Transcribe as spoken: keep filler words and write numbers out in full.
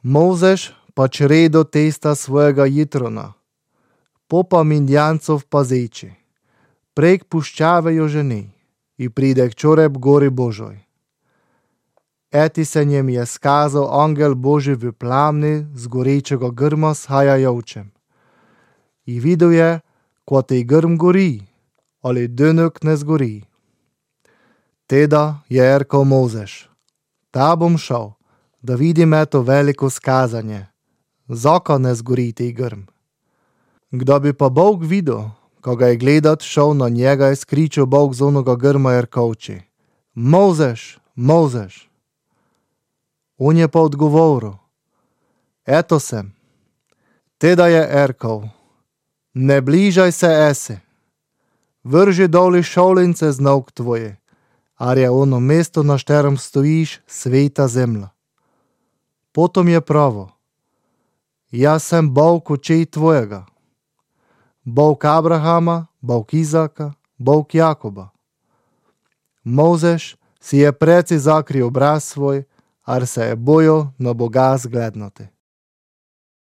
Mojzeš pa čredo testa svojega jitrona, popa Midjancov pazeći, prek puščave jo ženi i pride k čoreb gori Božoj. Eti se njem je skazal angel Božji v plamni z gorečega grma s hajajočem. I videl je, ko tej grm gori, ali dönök ne zgori. Teda je rekel Mojzeš: Ta bom šel, da vidim eto veliko skazanje, zaka ne zgori tej grm. Kdo bi pa Bog videl, ko ga je gledat šel na njega, je skričal Bog z onoga grma i rekovči: Mojzeš, Mojzeš. On je pa odgovoril: Eto sem. Teda je rekel: Ne bližaj se ese, vrži doli šolince z nog tvoje, ar je ono mesto, na šterem stojiš, sveta zemlja. Potom je pravo: Jaz sem Bog očej tvojega, Bog Abrahama, Bog Izaka, Bog Jakoba. Mojzeš si je preci zakril obraz svoj, ar se je bojal na Boga zglednati.